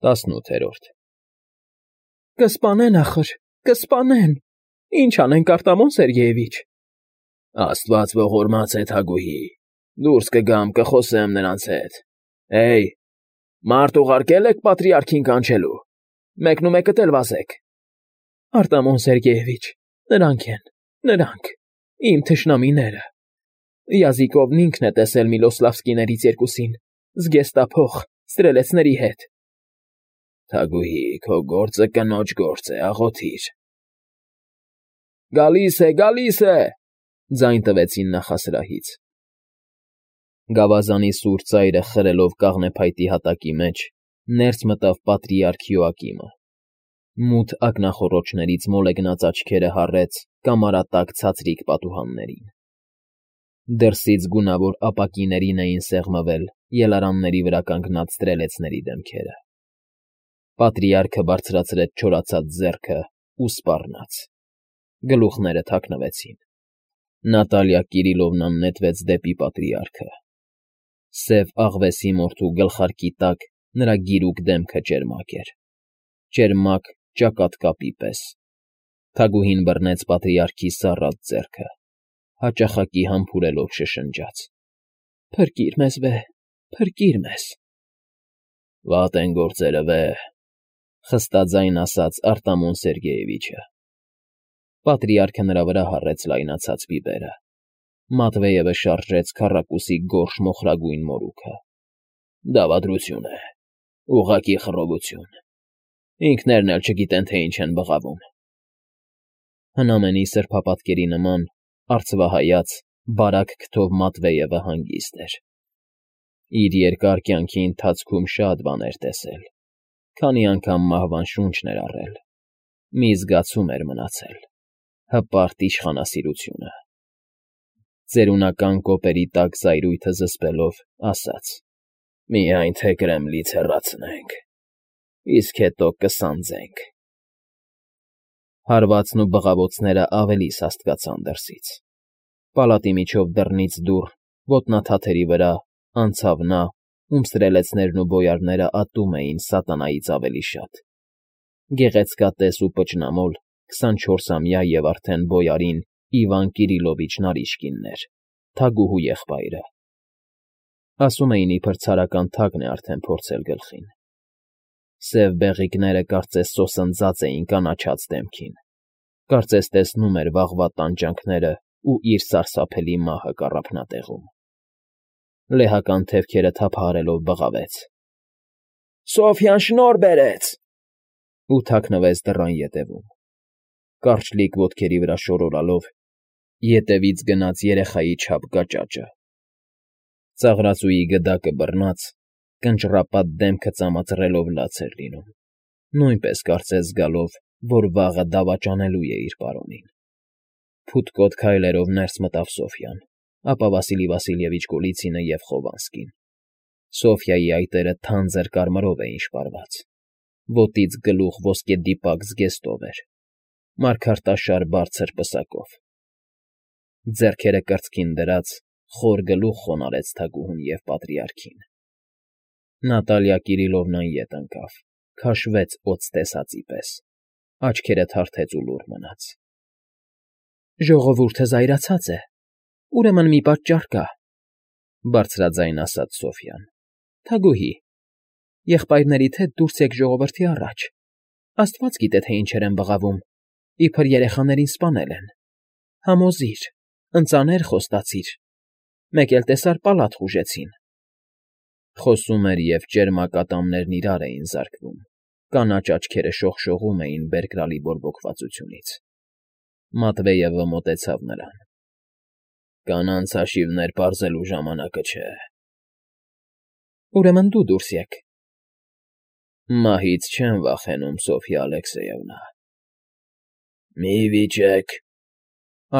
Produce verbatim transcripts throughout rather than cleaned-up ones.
տասնութերորդ Կսպանեն ախր, կսպանեն, ինչ անենք, Արտամոն Սերգեյևիչ… Աստված ողորմած է, Թագուհի, դուրս կգամ, կխոսեմ նրանց հետ… Հեյ, մարդ ուղարկե՞լ եք պատրիարքին կանչելու, մեկնումեկդ էլ վազեք… Արտամոն Սերգեյևիչ, նրանք են, նրանք, իմ թշնամիները… Յազիկովն ինքն է տեսել Միլոսլավսկիներից երկուսին, զգեստափոխ, ստրելեցների հետ… Թագուհի, քո գործը կնոջ գործ է, աղոթիր… Գալիս է, գալիս է… Ձայն տվեցին նախասրահից… Գավազանի սուր ծայրը խրելով կաղնեփայտի հատակի մեջ, ներս մտավ պատրիարք Յոակիմը… Մութ ակնախոռոչներից մոլեգնած աչքերը հառեց կամարատակ ցածրիկ պատուհաններին… Դրսից գունավոր ապակիներին էին սեղմվել ելարանների վրա կանգնած ստրելեցների դեմքերը… Պատրիարքը բարձրացրեց չորացած ձեռքն ու սպառնաց… Գլուխները թաքնվեցին… Նատալիա Կիրիլովնան նետվեց դեպի պատրիարքը… Սև աղվեսի մորթու գլխարկի տակ նրա գիրուկ դեմքը ճերմակ էր… Ճերմակ ճակատկապի պես… Թագուհին բռնեց պատրիարքի սառած ձեռքը… Հաճախակի համբուրելով շշնջաց. Փրկիր մեզ, վեհ, փրկիր մեզ… Վատ են գործերը, վեհ… Խստաձայն ասաց Արտամոն Սերգեյևիչը… Պատրիարքը նրա վրա հառեց լայնացած բիբերը… Մատվեևը շարժեց քառակուսի գորշ մոխրագույն մորուքը… Դավադրություն է, ուղղակի խռովություն… Ինքներն էլ չգիտեն, թե ինչ են բղավում… Հնամենի սրբապատկերի նման, արծվահայաց, բարակ քթով Մատվեևը հանգիստ էր… Իր երկար կյանքի ընթացքում շատ բան էր տեսել, քանի անգամ մահվան շունչն էր առել, մի զգացում էր մնացել… հպարտ իշխանասիրությունը… Ծերունական կոպերի տակ զայրույթը զսպելով, ասաց. Միայն թե Կրեմլից հեռացնենք, իսկ հետո կսանձենք… Հարվածն ու բղավոցները ավելի սաստկացան դրսից… Պալատի միջով դռնից դուռ, ոտնաթաթերի վրա, անցավ նա, ում ստրելեցներն ու բոյարները ատում էին սատանայից ավելի շատ… Գեղեցկատես ու պճնամոլ, քսանչորսամյա և արդեն բոյարին Իվան Կիրիլովիչ Նարիշկինն էր, Թագուհու եղբայրը… Ասում էին, իբր ցարական թագն է արդեն փորձել գլխին… Սև բեղիկները կարծես սոսնձած էին կանաչած դեմքին… Կարծես տեսնում էր վաղվա տանջանքներն ու իր սարսափելի մահը կառափնատեղում… Լեհական թևքերը թափահարելով բղավեց. Սոֆյան շնորհ բերեց… ու թաքնվեց դռան ետևում… Կարճլիկ ոտքերի վրա շորորալով, ետևից գնաց երեխայի չափ գաճաճը… Ծաղրածուի գդակը բռնած, կնճռապատ դեմքը ծամածռելով լաց էր լինում, նույնպես կարծես զգալով, որ վաղը դավաճանելու է իր պարոնին… Փութկոտ քայլերով ներս մտավ Սոֆյան, ապա Վասիլի Վասիլևիչ Գոլիցինը և Խովանսկին… Սոֆյայի այտերը թանձր կարմրով էին շպարված, ոտից գլուխ ոսկեդիպակ զգեստով էր, մարգարտաշար բարձր պսակով… Ձեռքերը կրծքին դրած, խոր գլուխ խոնարհեց թագուհուն և պատրիարքին… Նատալիա Կիրիլովնան ետ ընկավ, քաշվեց օձ տեսածի պես, աչքերը թարթեց ու լուռ մնաց… Ժողովուրդը զայրացած է, ուրեմն մի պատճառ կա… Բարձրաձայն ասաց Սոֆյան… Թագուհի, եղբայրներիդ հետ դուրս եկ ժողովրդի առաջ… Աստված գիտե, թե ինչեր են բղավում, իբր երեխաներին սպանել են… Համոզիր, ընծաներ խոստացիր… Մեկ էլ տեսար պալատ խուժեցին… Խոսում էր, և ճերմակ ատամներն իրար էին զարկվում, կանաչ աչքերը շողշողում էին բերկրալի բորբոքվածությունից… Մատվեևը մոտեցավ նրան. Կանանց հաշիվներ պարզելու ժամանակը չէ… Ուրեմն դու դուրս եկ… Մահից չեմ վախենում, Սոֆյա Ալեքսեյևնա… Մի վիճեք,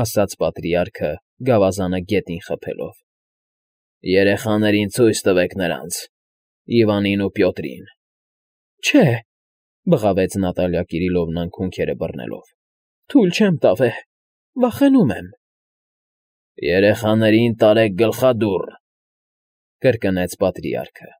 ասաց պատրիարքը, գավազանը գետին խփելով… Երեխաներին ցույց տվեք նրանց, Իվանին ու Պյոտրին… Չէ… բղավեց Նատալիա Կիրիլովնան քունքերը բռնելով… Թույլ չեմ տա, վեհ, վախենում եմ… Երեխաներին տարեք գլխադուռ… կրկնեց պատրիարքը…